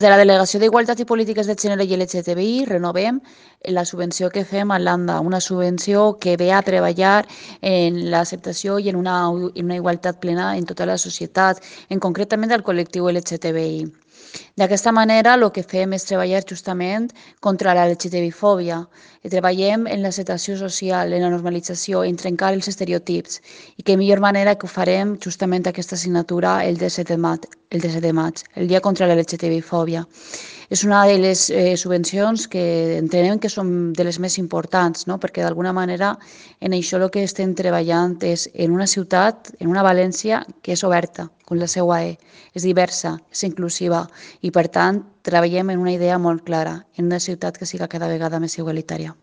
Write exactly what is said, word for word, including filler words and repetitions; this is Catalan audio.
De la Delegació d'Igualtat i Polítiques de Gènere i L G T B I renovem la subvenció que fem a l'ANDA, una subvenció que ve a treballar en l'acceptació i en una, en una igualtat plena en tota la societat, en concretament del col·lectiu L G T B I. D'aquesta manera, el que fem és treballar justament contra la L G T B fòbia. Treballem en l'acceptació social, en la normalització, en trencar els estereotips. I que millor manera que ho farem justament aquesta assignatura el disset de maig, el disset de maig, el Dia contra la L G T B fòbia. És una de les eh, subvencions que entenem que són de les més importants, no? Perquè d'alguna manera en això el que estem treballant és en una ciutat, en una València que és oberta, com la seva E, és diversa, és inclusiva i per tant treballem en una idea molt clara, en una ciutat que siga cada vegada més igualitària.